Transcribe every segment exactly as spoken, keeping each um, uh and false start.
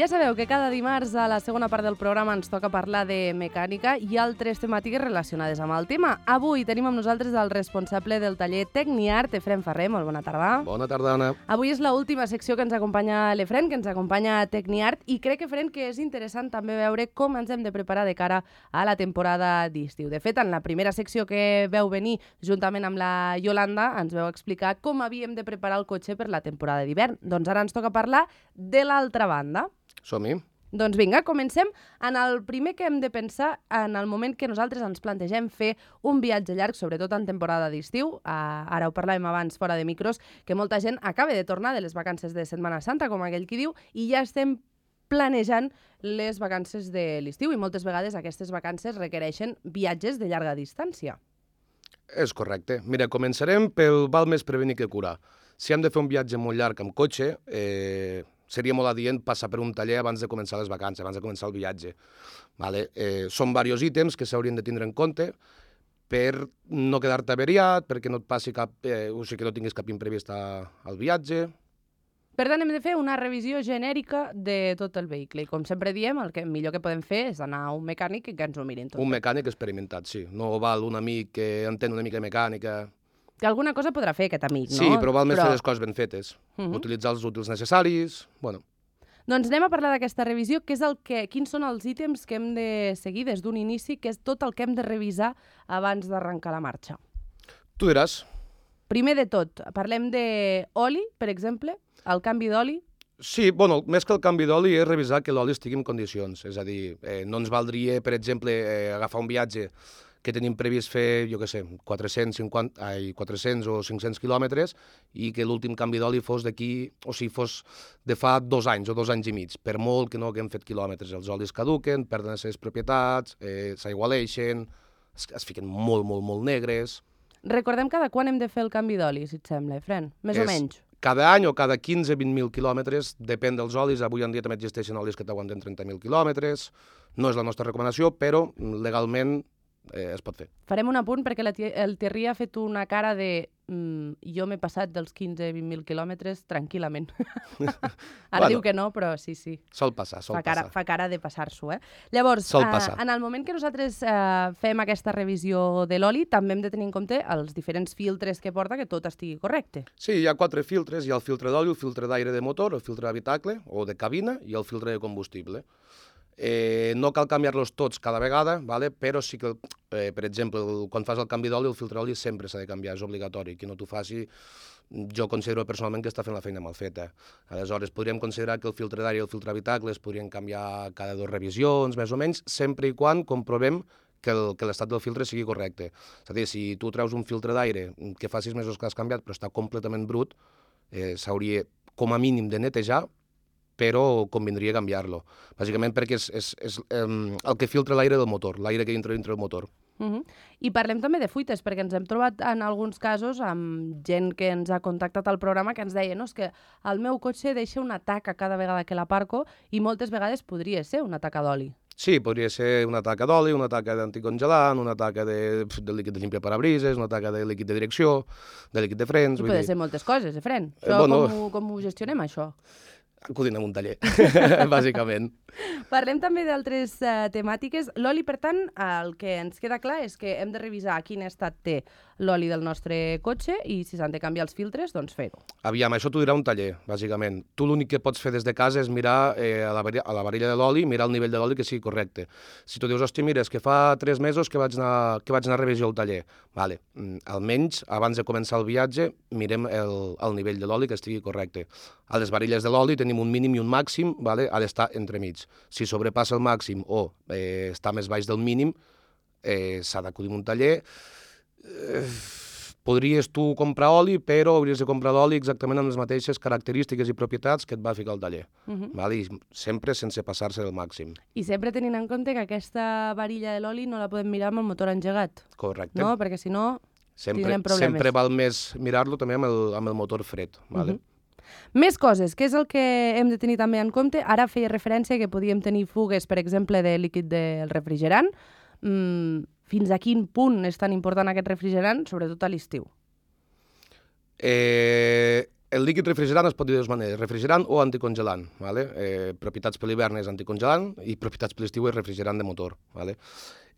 Ja sabeu que cada dimarts a la segona part del programa ens toca parlar de mecànica i altres temàtiques relacionades amb el tema. Avui tenim amb nosaltres el responsable del taller Tecniart, Efrem Ferrer. Molt bona tarda. Bona tarda, Anna. Avui és l'última secció que ens acompanya l'Efrem, que ens acompanya Tecniart, i crec, Efrem, que és interessant també veure com ens hem de preparar de cara a la temporada d'estiu. De fet, en la primera secció que veu venir, juntament amb la Yolanda, ens veu explicar com havíem de preparar el cotxe per la temporada d'hivern. Doncs ara ens toca parlar de l'altra banda. Som-hi. Doncs vinga, comencem. En el primer que hem de pensar, en el moment que nosaltres ens plantegem fer un viatge llarg, sobretot en temporada d'estiu, eh, ara ho parlàvem abans fora de micros, que molta gent acaba de tornar de les vacances de Setmana Santa, com aquell qui diu, i ja estem planejant les vacances de l'estiu, i moltes vegades aquestes vacances requereixen viatges de llarga distància. És correcte. Mira, començarem pel val més prevenir que curar. Si hem de fer un viatge molt llarg amb cotxe, eh, seria molt adient passar per un taller abans de començar les vacances, abans de començar el viatge. Vale? Eh, són diversos ítems que s'haurien de tindre en compte per no quedar-te averiat, perquè no et passi cap, eh, o sigui, que no tinguis cap imprevist al viatge. Per tant, hem de fer una revisió genèrica de tot el vehicle. I com sempre diem, el que millor que podem fer és anar a un mecànic i que ens ho mirin tot. Un mecànic experimentat, sí. No val un amic que entén una mica de mecànica. Que alguna cosa podrà fer aquest amic, no? Sí, però val més fer les coses ben fetes. Uh -huh. Utilitzar els útils necessaris, bueno. Doncs anem a parlar d'aquesta revisió, que és el que, quins són els ítems que hem de seguir des d'un inici, que és tot el que hem de revisar abans d'arrencar la marxa. Tu diràs. Primer de tot, parlem d'oli, per exemple, el canvi d'oli. Sí, bueno, més que el canvi d'oli és revisar que l'oli estigui en condicions. És a dir, eh, no ens valdria, per exemple, eh, agafar un viatge que tenim previst fer, jo què sé, quatre-cents cinquanta, ai, quatre-cents o cinc-cents quilòmetres i que l'últim canvi d'oli fos d'aquí, o sigui, fos de fa dos anys o dos anys i mig. Per molt que no haguem fet quilòmetres, els olis caduquen, perden les seves propietats, eh, s'aigualeixen, es, es fiquen molt, molt, molt negres. Recordem cada quan hem de fer el canvi d'oli, si et sembla, Efrem? Més és o menys. Cada any o cada quinze a vint mil quilòmetres, depèn dels olis. Avui en dia també existeixen olis que t'aguanten trenta mil quilòmetres. No és la nostra recomanació, però legalment eh, es pot fer. Farem un apunt perquè la tia, el Thierry ha fet una cara de mm, jo m'he passat dels quinze a vint mil quilòmetres tranquil·lament. Ara bueno, diu que no, però sí, sí. Sol passar, sol fa cara, passar. Fa cara de passar-s'ho, eh? Llavors, sol eh, en el moment que nosaltres eh, fem aquesta revisió de l'oli, també hem de tenir en compte els diferents filtres que porta, que tot estigui correcte. Sí, hi ha quatre filtres. Hi ha el filtre d'oli, el filtre d'aire de motor, el filtre d'habitacle o de cabina i el filtre de combustible. Eh, no cal canviar-los tots cada vegada, vale? Però sí que, eh, per exemple, quan fas el canvi d'oli, el filtre d'oli sempre s'ha de canviar, és obligatori. Qui no t'ho faci, jo considero personalment que està fent la feina mal feta. Aleshores, podríem considerar que el filtre d'aire i el filtre d'habitacle es podrien canviar cada dues revisions, més o menys, sempre i quan comprovem que l'estat del filtre sigui correcte. És a dir, si tu treus un filtre d'aire que fa sis mesos que has canviat però està completament brut, eh, s'hauria com a mínim de netejar, però convindria canviar-lo. Bàsicament perquè és, és, és um, el que filtra l'aire del motor, l'aire que entra dintre del motor. Uh -huh. I parlem també de fuites, perquè ens hem trobat en alguns casos amb gent que ens ha contactat al programa que ens deia no, és que el meu cotxe deixa una taca cada vegada que l'aparco i moltes vegades podria ser una taca d'oli. Sí, podria ser una taca d'oli, una taca d'anticongelant, una taca de, de líquid de limpiaparabrises, una taca de líquid de direcció, de líquid de frens... I vull pot dir... ser moltes coses, Efrem. Eh, bueno... com, ho, com ho gestionem, això? Acudint a un taller, bàsicament. Parlem també d'altres uh, temàtiques. L'oli, per tant, el que ens queda clar és que hem de revisar quin estat té l'oli del nostre cotxe i si s'han de canviar els filtres, doncs fer-ho. Aviam, això t'ho dirà un taller, bàsicament. Tu l'únic que pots fer des de casa és mirar eh, a, la, a la varilla de l'oli, mirar el nivell de l'oli que sigui correcte. Si tu dius, hòstia, mira, és que fa tres mesos que vaig anar, que vaig anar a revisió al taller. Vale, almenys, abans de començar el viatge, mirem el, el nivell de l'oli que estigui correcte. A les varilles de l'oli tenim un mínim i un màxim, vale? Ha d'estar entremig. Si sobrepassa el màxim o eh, està més baix del mínim, eh, s'ha d'acudir a un taller. Eh, podries tu comprar oli, però hauries de comprar l'oli exactament amb les mateixes característiques i propietats que et va ficar al taller. Uh -huh. Vale? I sempre sense passar-se del màxim. I sempre tenint en compte que aquesta varilla de l'oli no la podem mirar amb el motor engegat. Correcte. No? Perquè si no, sempre, tindrem problemes. Sempre val més mirar-lo també amb el, amb el motor fred. Vale? Uh -huh. Més coses, què és el que hem de tenir també en compte? Ara feia referència que podíem tenir fugues, per exemple, de líquid del refrigerant. Mm, fins a quin punt és tan important aquest refrigerant, sobretot a l'estiu? Eh, el líquid refrigerant es pot dir de dues maneres, refrigerant o anticongelant. Vale? Eh, propietats per l'hivern és anticongelant i propietats per l'estiu és refrigerant de motor. Vale?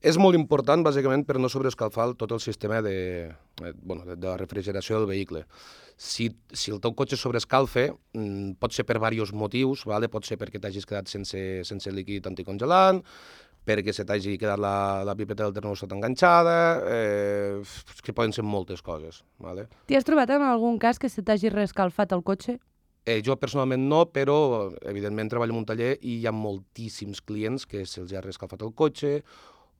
És molt important, bàsicament, per no sobreescalfar tot el sistema de, eh, bueno, de, de la refrigeració del vehicle. Si, si el teu cotxe sobreescalfa, mm, pot ser per diversos motius, vale? Pot ser perquè t'hagis quedat sense, sense líquid anticongelant, perquè se t'hagi quedat la, la pipeta del termòstat enganxada, eh, que poden ser moltes coses. Vale? T'hi has trobat en algun cas que se t'hagi reescalfat el cotxe? Eh, jo personalment no, però evidentment treballo en un taller i hi ha moltíssims clients que se'ls ha reescalfat el cotxe,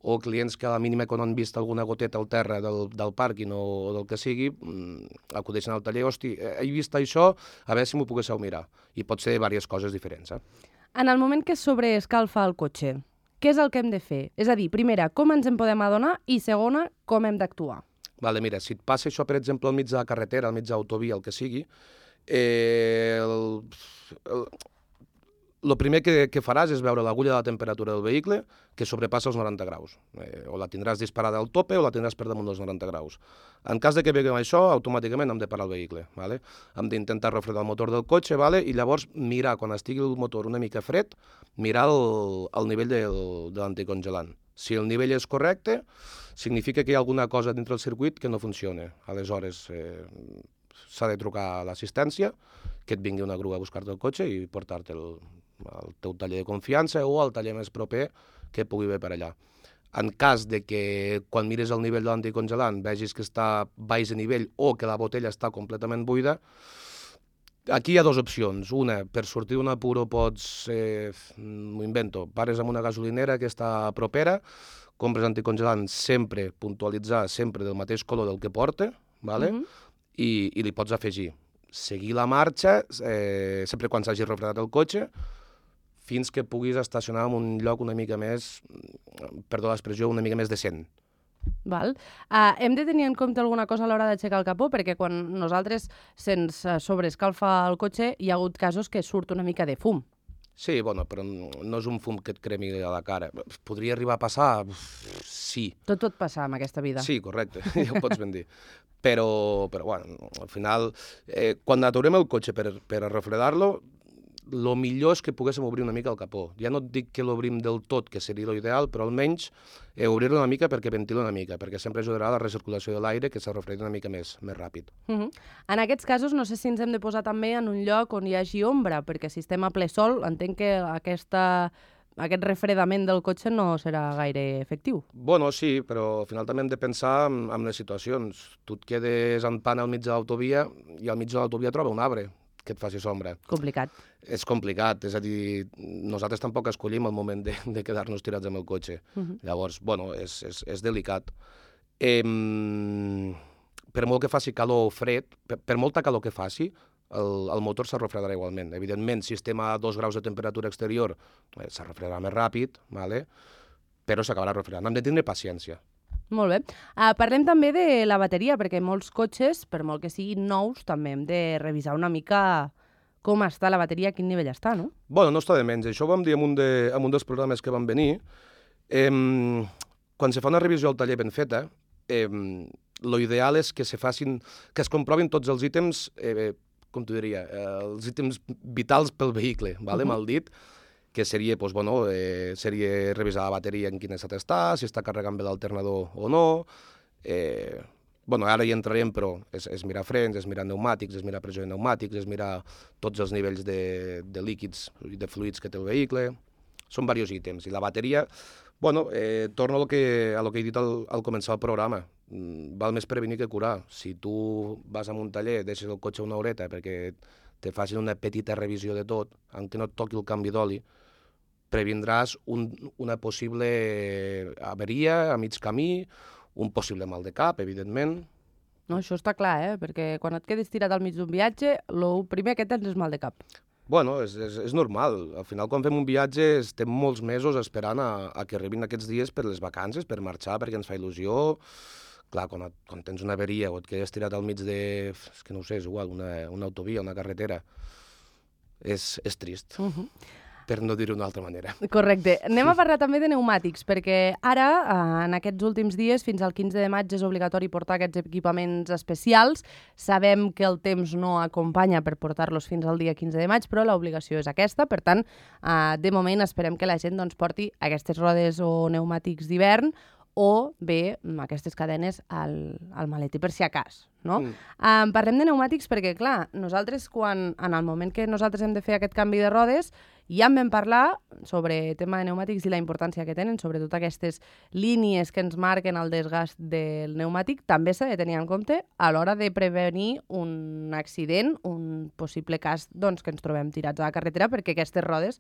o clients que a la mínima quan han vist alguna goteta al terra del, del pàrquing o, o del que sigui, acudeixen al taller, hosti, he vist això, a veure si m'ho poguéssiu mirar. I pot ser diverses coses diferents. Eh? En el moment que sobreescalfa el cotxe, què és el que hem de fer? És a dir, primera, com ens en podem adonar i segona, com hem d'actuar? Vale, mira, si et passa això, per exemple, al mig de la carretera, al mig d'autovia, el que sigui, eh, el, el, el primer que, que faràs és veure l'agulla de la temperatura del vehicle que sobrepassa els noranta graus. Eh, o la tindràs disparada al tope o la tindràs per damunt dels noranta graus. En cas de que veiem això, automàticament hem de parar el vehicle. Vale? Hem d'intentar refredar el motor del cotxe, vale? I llavors mirar, quan estigui el motor una mica fred, mirar el, el nivell del, de l'anticongelant. Si el nivell és correcte, significa que hi ha alguna cosa dintre del circuit que no funciona. Aleshores, eh, s'ha de trucar a l'assistència, que et vingui una grua a buscar-te el cotxe i portar-te el, al teu taller de confiança o al taller més proper que pugui haver per allà. En cas de que quan mires el nivell de l'anticongelant vegis que està baix de nivell o que la botella està completament buida, aquí hi ha dues opcions. Una, per sortir d'un apuro pots, eh, m'ho invento, pares amb una gasolinera que està propera, compres anticongelant sempre, puntualitzar sempre del mateix color del que porta, vale? Mm-hmm. I, i li pots afegir. Seguir la marxa, eh, sempre quan s'hagi refredat el cotxe, fins que puguis estacionar en un lloc una mica més, perdó l'expressió, una mica més decent. Val. Uh, hem de tenir en compte alguna cosa a l'hora d'aixecar el capó, perquè quan nosaltres se'ns sobreescalfa el cotxe hi ha hagut casos que surt una mica de fum. Sí, bueno, però no és un fum que et cremi a la cara. Podria arribar a passar? Sí. Tot pot passar en aquesta vida. Sí, correcte, ja ho pots ben dir. Però, però bueno, al final, eh, quan aturem el cotxe per, per refredar-lo, el millor és que poguéssim obrir una mica el capó. Ja no et dic que l'obrim del tot, que seria l'ideal, però almenys eh, obrir-lo una mica perquè ventila una mica, perquè sempre ajudarà a la recirculació de l'aire, que se refredi una mica més, més ràpid. Uh-huh. En aquests casos, no sé si ens hem de posar també en un lloc on hi hagi ombra, perquè si estem a ple sol, entenc que aquesta, aquest refredament del cotxe no serà gaire efectiu. Bueno, sí, però al final també hem de pensar en, en les situacions. Tu et quedes en pana al mig de l'autovia i al mig de l'autovia troba un arbre que et faci sombra. Complicat. És complicat, és a dir, nosaltres tampoc escollim el moment de, de quedar-nos tirats amb el cotxe. Uh-huh. Llavors, bueno, és, és, és delicat. Eh, per molt que faci calor o fred, per, per molta calor que faci, el, el motor se refredarà igualment. Evidentment, si estem a dos graus de temperatura exterior, eh, se refredarà més ràpid, vale? Però s'acabarà refredant. Hem de tindre paciència. Molt bé. Uh, parlem també de la bateria, perquè molts cotxes, per molt que siguin nous, també hem de revisar una mica com està la bateria, a quin nivell està, no? Bueno, no està de menys. Això ho vam dir en un, de, en un dels programes que van venir. Eh, quan se fa una revisió al taller ben feta, eh, lo ideal és que se facin, que es comprovin tots els ítems, eh, com t'ho diria, eh, els ítems vitals pel vehicle, vale? Uh-huh. Mal dit, que seria, doncs, bueno, eh, seria revisar la bateria en quin estat està, si està carregant bé l'alternador o no. Eh, bueno, ara hi entrarem, però és, és mirar frens, és mirar pneumàtics, és mirar pressió de pneumàtics, és mirar tots els nivells de, de líquids i de fluids que té el vehicle. Són diversos ítems. I la bateria, bueno, eh, torno a lo que, a lo que he dit al, al començar el programa. Mm, val més prevenir que curar. Si tu vas a un taller, deixes el cotxe una horeta perquè te facin una petita revisió de tot, aunque no et toqui el canvi d'oli, previndràs un, una possible averia a mig camí, un possible mal de cap, evidentment. No, això està clar, eh? Perquè quan et quedes tirat al mig d'un viatge, el primer que tens és mal de cap. Bueno, és, és, és normal. Al final, quan fem un viatge, estem molts mesos esperant a, a que arribin aquests dies per les vacances, per marxar, perquè ens fa il·lusió. Clar, quan, et, quan tens una averia o et quedes tirat al mig de, és que no ho sé, és igual, una, una autovia, una carretera, és, és trist. Uh-huh. per no dir-ho d'una altra manera. Correcte. Anem a parlar també de pneumàtics, perquè ara, en aquests últims dies, fins al quinze de maig, és obligatori portar aquests equipaments especials. Sabem que el temps no acompanya per portar-los fins al dia quinze de maig, però l'obligació és aquesta. Per tant, de moment esperem que la gent doncs, porti aquestes rodes o pneumàtics d'hivern o bé aquestes cadenes al, al maletí per si a cas. No? Mm. Um, parlem de pneumàtics perquè, clar, nosaltres, quan, en el moment que nosaltres hem de fer aquest canvi de rodes, ja en vam parlar sobre el tema de pneumàtics i la importància que tenen, sobretot aquestes línies que ens marquen el desgast del pneumàtic, també s'ha de tenir en compte a l'hora de prevenir un accident, un possible cas doncs, que ens trobem tirats a la carretera, perquè aquestes rodes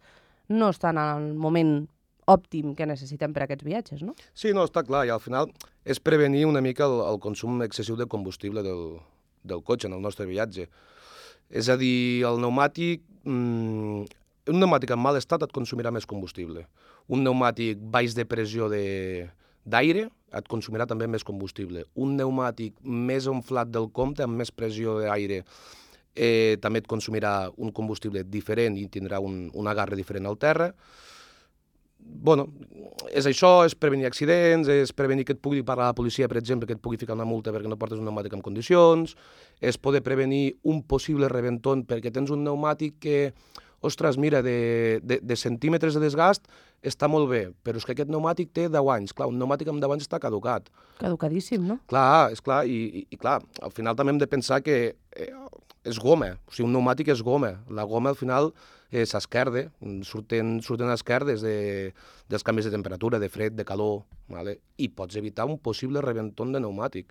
no estan al moment òptim que necessitem per a aquests viatges, no? Sí, no, està clar, i al final és prevenir una mica el, el consum excessiu de combustible del, del cotxe en el nostre viatge. És a dir, el pneumàtic, mmm, un pneumàtic en mal estat et consumirà més combustible. Un pneumàtic baix de pressió d'aire et consumirà també més combustible. Un pneumàtic més inflat del compte, amb més pressió d'aire, eh, també et consumirà un combustible diferent i tindrà un, un agarre diferent al terra. Bueno, és això, és prevenir accidents, és prevenir que et pugui parar la policia, per exemple, que et pugui ficar una multa perquè no portes un pneumàtic en condicions, és poder prevenir un possible rebenton perquè tens un pneumàtic que, ostres, mira, de, de, de centímetres de desgast està molt bé, però és que aquest pneumàtic té deu anys. Clar, un pneumàtic amb deu anys està caducat. Caducadíssim, no? Clar, és clar, i, i, i clar, al final també hem de pensar que eh, és goma, o sigui, un pneumàtic és goma. La goma, al final, eh, s'esquerda, surten, surten esquerdes de, dels canvis de temperatura, de fred, de calor, vale? I pots evitar un possible rebenton de pneumàtic,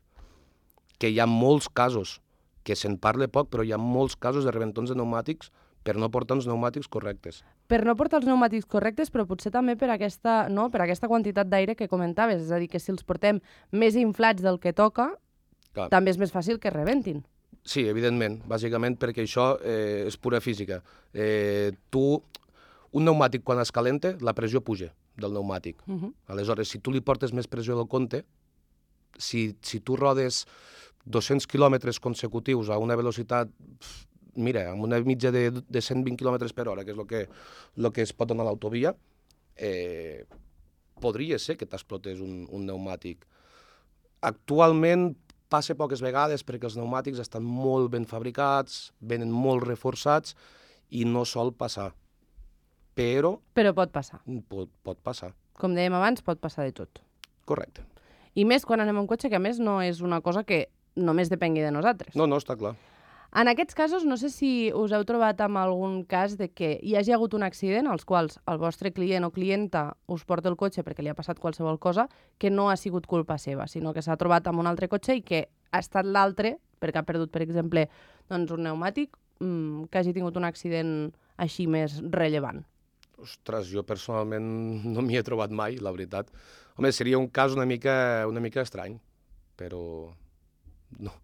que hi ha molts casos, que se'n parla poc, però hi ha molts casos de rebentons de pneumàtics per no portar uns pneumàtics correctes. Per no portar els pneumàtics correctes, però potser també per aquesta, no, per aquesta quantitat d'aire que comentaves, és a dir, que si els portem més inflats del que toca, clar, també és més fàcil que rebentin. Sí, evidentment, bàsicament perquè això eh, és pura física. Eh, tu, un pneumàtic quan es calenta, la pressió puja del pneumàtic. Uh -huh. Aleshores, si tu li portes més pressió del compte, si, si tu rodes dos-cents quilòmetres consecutius a una velocitat, mira, amb una mitja de, de cent vint quilòmetres per hora, que és el que, lo que es pot donar a l'autovia, eh, podria ser que t'explotés un, un pneumàtic. Actualment passa poques vegades perquè els pneumàtics estan molt ben fabricats, venen molt reforçats i no sol passar. Però... Però pot passar. Pot, pot passar. Com dèiem abans, pot passar de tot. Correcte. I més quan anem en cotxe, que a més no és una cosa que només depengui de nosaltres. No, no, està clar. En aquests casos, no sé si us heu trobat amb algun cas de que hi hagi hagut un accident als quals el vostre client o clienta us porta el cotxe perquè li ha passat qualsevol cosa que no ha sigut culpa seva, sinó que s'ha trobat amb un altre cotxe i que ha estat l'altre, perquè ha perdut, per exemple, doncs un pneumàtic, mmm, que hagi tingut un accident així més rellevant. Ostres, jo personalment no m'hi he trobat mai, la veritat. Home, seria un cas una mica, una mica estrany, però no,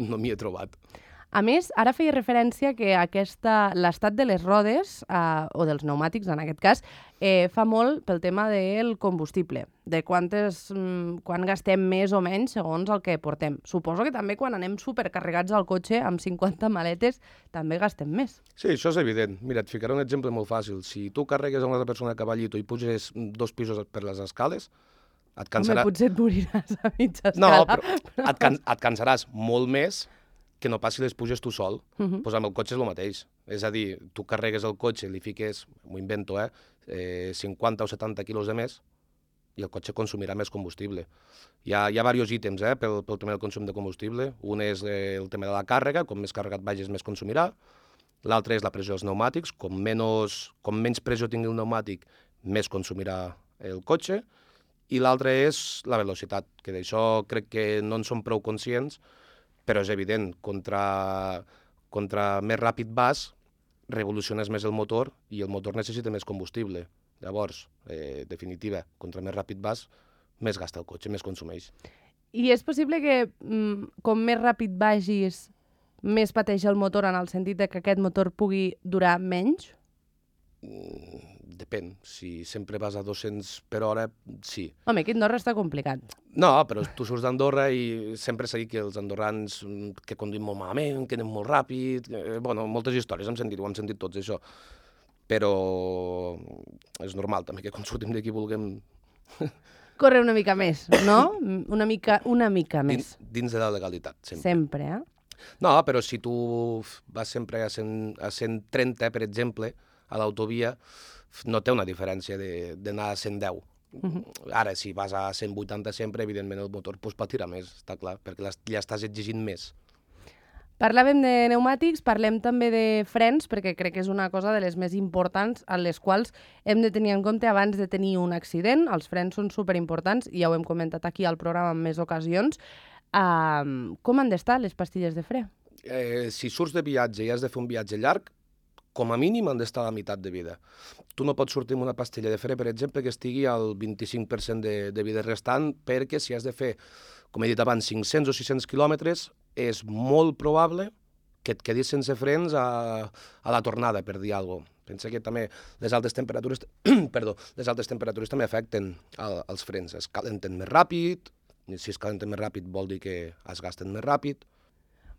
no m'hi he trobat. A més, ara feia referència que aquesta l'estat de les rodes, eh, o dels pneumàtics en aquest cas, eh, fa molt pel tema del combustible, de quantes, mm, quan gastem més o menys segons el que portem. Suposo que també quan anem supercarregats al cotxe amb cinquanta maletes també gastem més. Sí, això és evident. Mira, et ficaré un exemple molt fàcil. Si tu carregues a una altra persona a cavallito i puges dos pisos per les escales, et cansarà... Home, potser et moriràs a mitja escala. No, però, però... Et, can... et cansaràs molt més que no passi les puges tu sol. Uh -huh. Pues amb el cotxe és el mateix. És a dir, tu carregues el cotxe, li fiques, m'ho invento, eh, eh, cinquanta o setanta quilos de més i el cotxe consumirà més combustible. Hi ha, hi ha diversos ítems eh, pel, pel tema del consum de combustible. Un és eh, el tema de la càrrega, com més carregat vagis més consumirà. L'altre és la pressió dels pneumàtics, com, menys, com menys pressió tingui el pneumàtic, més consumirà el cotxe. I l'altre és la velocitat, que d'això crec que no en som prou conscients, però és evident, contra, contra més ràpid vas, revoluciones més el motor i el motor necessita més combustible. Llavors, eh, definitiva, contra més ràpid vas, més gasta el cotxe, més consumeix. I és possible que mm, com més ràpid vagis, més pateix el motor en el sentit de que aquest motor pugui durar menys? Mm, depèn. Si sempre vas a dos-cents per hora, sí. Home, aquí a Andorra està complicat. No, però tu surts d'Andorra i sempre s'ha dit que els andorrans que conduïm molt malament, que anem molt ràpid... Eh, bueno, moltes històries hem sentit, ho hem sentit tots, això. però és normal també que quan sortim d'aquí vulguem... Corre una mica més, no? Una mica, una mica més. Dins, dins de la legalitat, sempre. Sempre, eh? No, però si tu vas sempre a cent, a cent trenta, per exemple, a l'autovia, no té una diferència d'anar a cent deu. Uh-huh. Ara, si vas a cent vuitanta sempre, evidentment el motor pues, pot tirar més, està clar, perquè ja estàs exigint més. Parlàvem de pneumàtics, parlem també de frens, perquè crec que és una cosa de les més importants en les quals hem de tenir en compte abans de tenir un accident. Els frens són superimportants, i ja ho hem comentat aquí al programa en més ocasions. Uh, com han d'estar les pastilles de fre? Eh, si surts de viatge i has de fer un viatge llarg, com a mínim han d'estar a la meitat de vida. Tu no pots sortir amb una pastilla de fre, per exemple, que estigui al vint-i-cinc per cent de, de vida restant, perquè si has de fer, com he dit abans, cinc-cents o sis-cents quilòmetres, és molt probable que et quedis sense frens a, a la tornada, per dir alguna cosa. Pensa que també les altes temperatures, perdó, les altes temperatures també afecten el, els frens. Es calenten més ràpid, si es calenten més ràpid vol dir que es gasten més ràpid.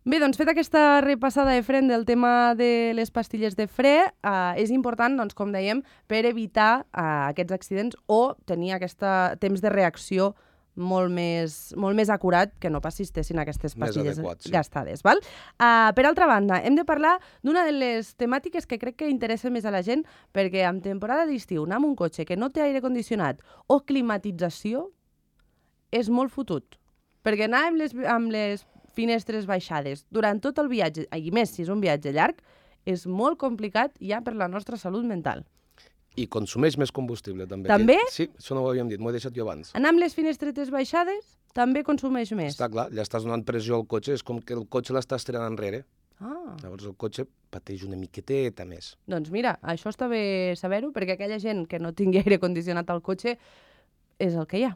Bé, doncs fet aquesta repassada de fren del tema de les pastilles de fre, eh, és important, doncs, com dèiem, per evitar eh, aquests accidents o tenir aquest temps de reacció molt més, molt més acurat que no pas si estessin aquestes pastilles adequat, sí. gastades. Val? Uh, per altra banda, hem de parlar d'una de les temàtiques que crec que interessa més a la gent, perquè en temporada d'estiu anar amb un cotxe que no té aire condicionat o climatització és molt fotut. Perquè anar amb les, amb les finestres baixades durant tot el viatge, i més si és un viatge llarg, és molt complicat ja per la nostra salut mental. I consumeix més combustible, també. També? Que, sí, això no ho havíem dit, m'ho he deixat jo abans. Anar amb les finestretes baixades també consumeix més. Està clar, ja estàs donant pressió al cotxe, és com que el cotxe l'estàs tirant enrere. Ah. Llavors el cotxe pateix una miqueteta més. Doncs mira, això està bé saber-ho, perquè aquella gent que no tingui aire condicionat al cotxe és el que hi ha.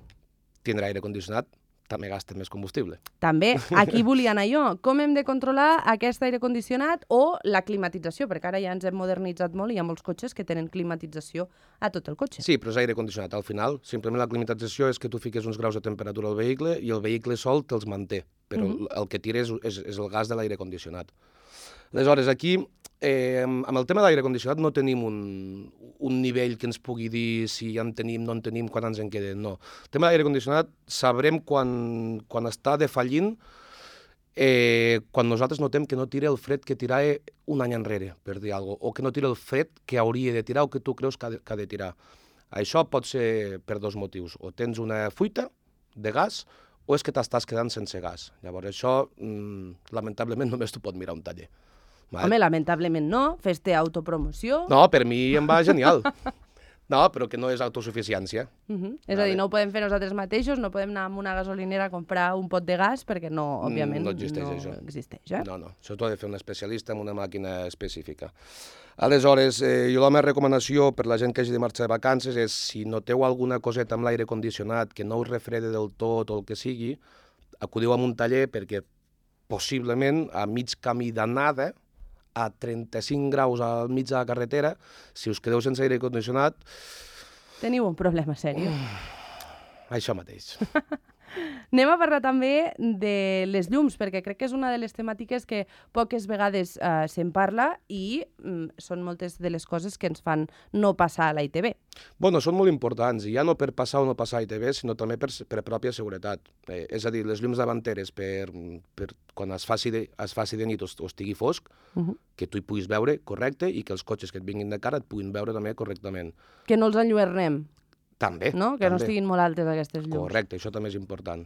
Tindrà aire condicionat, també gasta més combustible. També, aquí volia anar jo. Com hem de controlar aquest aire condicionat o la climatització? Perquè ara ja ens hem modernitzat molt i hi ha molts cotxes que tenen climatització a tot el cotxe. Sí, però és aire condicionat. Al final, simplement la climatització és que tu fiques uns graus de temperatura al vehicle i el vehicle sol te'ls manté, però uh-huh. el que tira és, és, és el gas de l'aire condicionat. Aleshores, aquí, eh, amb el tema de l'aire condicionat no tenim un, un nivell que ens pugui dir si ja en tenim, no en tenim, quan ens en queden, no. El tema de l'aire condicionat sabrem quan, quan està defallint, eh, quan nosaltres notem que no tira el fred que tirava un any enrere, per dir alguna cosa, o que no tira el fred que hauria de tirar o que tu creus que ha de, que ha de tirar. Això pot ser per dos motius. O tens una fuita de gas o és que t'estàs quedant sense gas. Llavors això, mmm, lamentablement, només t'ho pot mirar un taller. Vale? Home, lamentablement no, fes-te autopromoció. No, per mi em va genial. No, però que no és autosuficiència. Uh -huh. És vale. a dir, no ho podem fer nosaltres mateixos, no podem anar a una gasolinera a comprar un pot de gas perquè no, òbviament, no existeix, no això. existeix. Eh? No, no, això t'ho ha de fer un especialista amb una màquina específica. Aleshores, eh, jo la meva recomanació per la gent que hagi de marxar de vacances és, si noteu alguna coseta amb l'aire condicionat que no us refrede del tot o el que sigui, acudiu a un taller perquè possiblement a mig camí d'anada, a trenta-cinc graus al mig de la carretera, si us quedeu sense aire condicionat... Teniu un problema sèrio. Això mateix. Anem a parlar també de les llums, perquè crec que és una de les temàtiques que poques vegades eh, se'n parla i mm, són moltes de les coses que ens fan no passar a la I T B. Bueno, són molt importants, i ja no per passar o no passar a I T B, sinó també per, per pròpia seguretat. Eh, és a dir, les llums davanteres, per, per quan es faci de, es faci de nit o, o estigui fosc, uh-huh. que tu hi puguis veure correcte i que els cotxes que et vinguin de cara et puguin veure també correctament. Que no els enlluernem. També. No? Que també. no estiguin molt altes aquestes llums. Correcte, això també és important.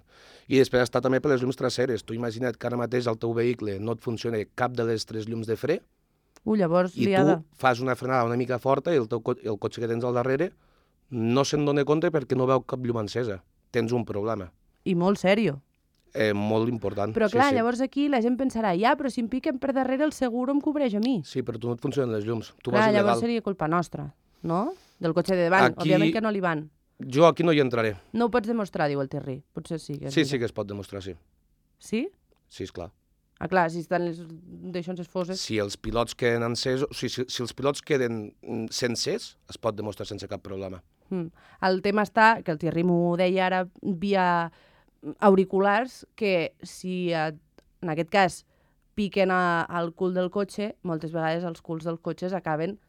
I després està també per les llums traseres. Tu imagina't que ara mateix al teu vehicle no et funciona cap de les tres llums de fre, uh, llavors, i liada. tu fas una frenada una mica forta i el, teu, el cotxe que tens al darrere no se'n dona compte perquè no veu cap llum encesa. Tens un problema. I molt sèrio. Eh, molt important. Però clar, sí, sí. llavors aquí la gent pensarà, ja, però si em piquen per darrere el seguro em cobreix a mi. Sí, però tu no et funcionen les llums. Tu clar, vas il·legal. llavors seria culpa nostra, no? Del cotxe de davant. Aquí... Òbviament que no li van. Jo aquí no hi entraré. No ho pots demostrar, diu el Terri. Potser sí. Que sí, sí que es pot demostrar, sí. Sí? Sí, esclar. Ah, clar, si estan les d'això foses... Si els pilots queden encesos, o sigui, si, si els pilots queden sencers, es pot demostrar sense cap problema. Mm. El tema està, que el Thierry m'ho deia ara via auriculars, que si en aquest cas piquen a, al cul del cotxe, moltes vegades els culs dels cotxes acaben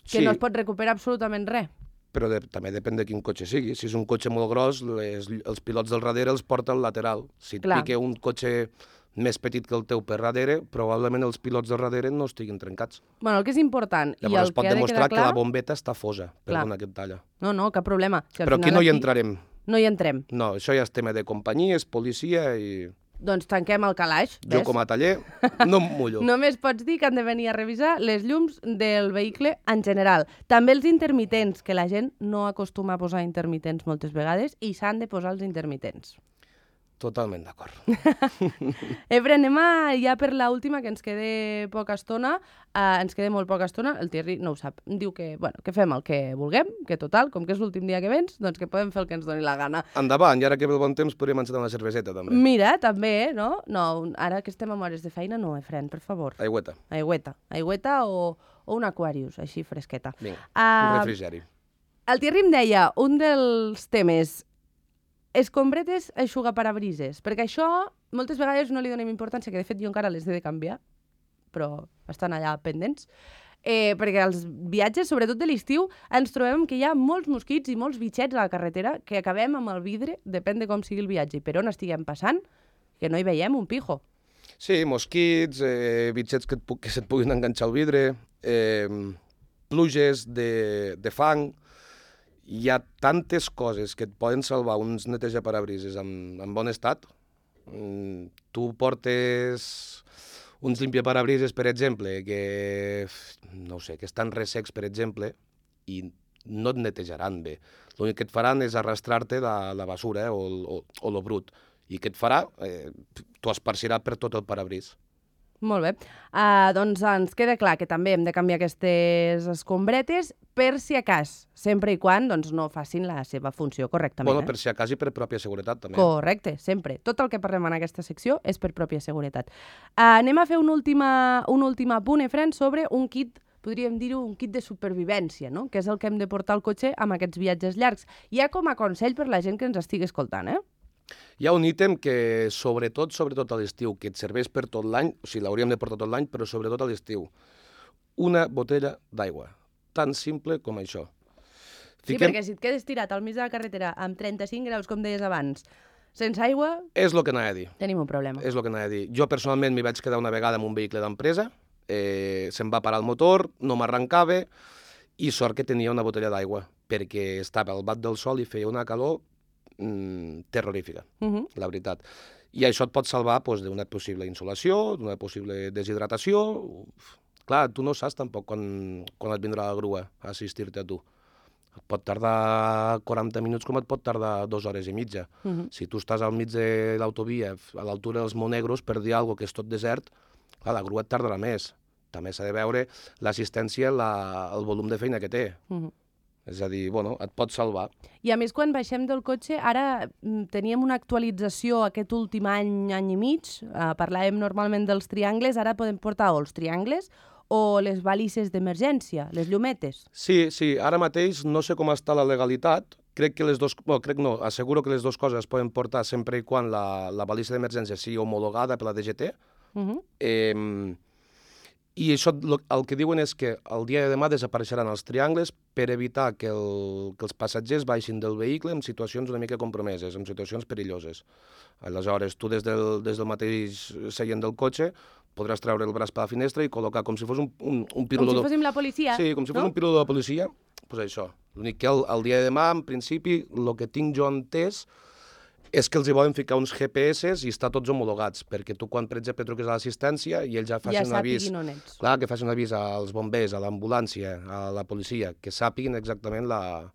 Que Sí. no es pot recuperar absolutament res. Però de, també depèn de quin cotxe sigui. Si és un cotxe molt gros, les, els pilots del darrere els porta al lateral. Si et Clar. pique un cotxe més petit que el teu per darrere, probablement els pilots del darrere no estiguin trencats. Bueno, el que és important i Llavors el es pot que ha de demostrar quedar clar... que la bombeta està fosa, Clar. perdona que et talla. No, no, cap problema. Si al Però aquí final no hi entrarem. No hi entrem. No, això ja és tema de companyia, és policia i Doncs tanquem el calaix, jo ves? com a taller no em mullo. Només pots dir que han de venir a revisar les llums del vehicle en general. També els intermitents, que la gent no acostuma a posar intermitents moltes vegades i s'han de posar els intermitents. Totalment d'acord. Efre, anem a, ja per l'última, que ens queda poca estona. Uh, ens queda molt poca estona. El Thierry no ho sap. Diu que, bueno, que fem el que vulguem, que total, com que és l'últim dia que vens, doncs que podem fer el que ens doni la gana. Endavant, i ara que ve el bon temps podríem encetar una cerveseta també. Mira, també, no? No, ara que estem amb hores de feina, no, Efren, per favor. Aigüeta. Aigüeta. Aigüeta o, o un Aquarius, així fresqueta. Vinga, Uh, un refrigeri. El Thierry em deia, un dels temes, escombretes eixugaparabrises, perquè això moltes vegades no li donem importància, que de fet jo encara les he de canviar, però estan allà pendents, eh, perquè als viatges, sobretot de l'estiu, ens trobem que hi ha molts mosquits i molts bitxets a la carretera que acabem amb el vidre, depèn de com sigui el viatge i per on estiguem passant, que no hi veiem un pijo. Sí, mosquits, eh, bitxets que, et, pu- que se't puguin enganxar al vidre, eh, pluges de, de fang. Hi ha tantes coses que et poden salvar uns netejaparabrises en, en bon estat. Mm, tu portes uns limpiaparabrises, per exemple, que, no ho sé, que estan ressecs, per exemple, i no et netejaran bé. L'únic que et faran és arrastrar-te la, la basura eh, o, el- o, o lo brut. I què et farà? Eh, T'ho esparcirà per tot el parabrís. Molt bé. Uh, doncs ens queda clar que també hem de canviar aquestes escombretes per si a cas, sempre i quan doncs, no facin la seva funció correctament. Bueno, eh? per si a cas i per pròpia seguretat, també. Correcte, sempre. Tot el que parlem en aquesta secció és per pròpia seguretat. Uh, anem a fer un últim, un últim apunt, Efren, sobre un kit, podríem dir-ho, un kit de supervivència, no? Que és el que hem de portar al cotxe amb aquests viatges llargs. Ja com a consell per la gent que ens estigui escoltant, eh? Hi ha un ítem que, sobretot, sobretot a l'estiu, que et serveix per tot l'any, o sigui, l'hauríem de portar tot l'any, però sobretot a l'estiu. Una botella d'aigua. Tan simple com això. Sí, perquè si et quedes tirat al mig de la carretera amb trenta-cinc graus, com deies abans, sense aigua, És el que anava a dir. tenim un problema. És el que anava a dir. Jo, personalment, m'hi vaig quedar una vegada amb un vehicle d'empresa, eh, se'm va parar el motor, no m'arrencava, i sort que tenia una botella d'aigua, perquè estava al bat del sol i feia una calor mm, terrorífica, Uh -huh. la veritat. I això et pot salvar doncs, d'una possible insolació, d'una possible deshidratació. Uf. Clar, tu no saps tampoc quan, quan et vindrà la grua a assistir-te a tu. Et pot tardar quaranta minuts com et pot tardar dues hores i mitja. Uh -huh. Si tu estàs al mig de l'autovia, a l'altura dels Monegros, per dir alguna cosa que és tot desert, clar, la grua et tardarà més. També s'ha de veure l'assistència, la, el volum de feina que té. Uh -huh. És a dir, bueno, et pot salvar. I a més, quan baixem del cotxe, ara mm, teníem una actualització aquest últim any, any i mig, eh, parlàvem normalment dels triangles, ara podem portar o els triangles o les balises d'emergència, les llumetes. Sí, sí, ara mateix no sé com està la legalitat, crec que les dos, bueno, crec no, asseguro que les dues coses es poden portar sempre i quan la, la balisa d'emergència sigui homologada per la D G T. Uh -huh. Eh, I això lo- el que diuen és que el dia de demà desapareixeran els triangles per evitar que, el, que els passatgers baixin del vehicle en situacions una mica compromeses, en situacions perilloses. Aleshores, tu des del, des del mateix seient del cotxe podràs treure el braç per la finestra i col·locar com si fos un, un, un Com pirulo... si fóssim la policia, Sí, com si fos no? un pirulo de la policia, doncs això. L'únic que el, el dia de demà, en principi, el que tinc jo entès és que els hi volen ficar uns G P S i estar tots homologats, perquè tu quan, per exemple, truques a l'assistència i ells ja facin Ja un avís... sàpiguin on ets. Clar, que facin un avís als bombers, a l'ambulància, a la policia, que sàpiguin exactament la,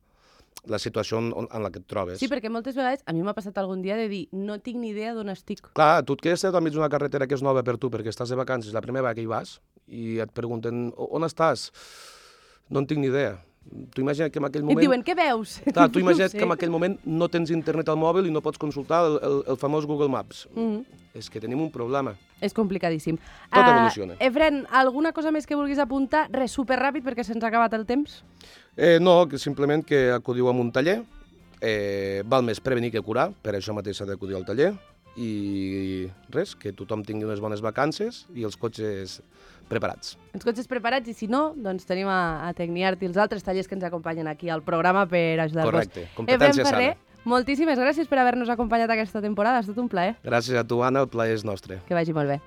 la situació en, en la que et trobes. Sí, perquè moltes vegades, a mi m'ha passat algun dia de dir no tinc ni idea d'on estic. Clar, tu et quedes al mig d'una carretera que és nova per tu, perquè estàs de vacances, la primera vegada que hi vas, i et pregunten, on estàs? No en tinc ni idea. Tu imagina't que en aquell I moment... et diuen, què veus? Clar, tu imagina't No sé. que en aquell moment no tens internet al mòbil i no pots consultar el, el, el famós Google Maps. Mm -hmm. És que tenim un problema. És complicadíssim. Tot Ah, evoluciona. Efren, alguna cosa més que vulguis apuntar? Res, superràpid, perquè se'ns ha acabat el temps. Eh, no, que simplement que acudiu a un taller. Eh, val més prevenir que curar, per això mateix s'ha d'acudir al taller. i res, que tothom tingui unes bones vacances i els cotxes preparats. Els cotxes preparats i si no, doncs tenim a, a Tecniart i els altres tallers que ens acompanyen aquí al programa per ajudar-vos. Correcte, competència sana. Moltíssimes gràcies per haver-nos acompanyat aquesta temporada, ha estat un plaer. Gràcies a tu, Anna, el plaer és nostre. Que vagi molt bé.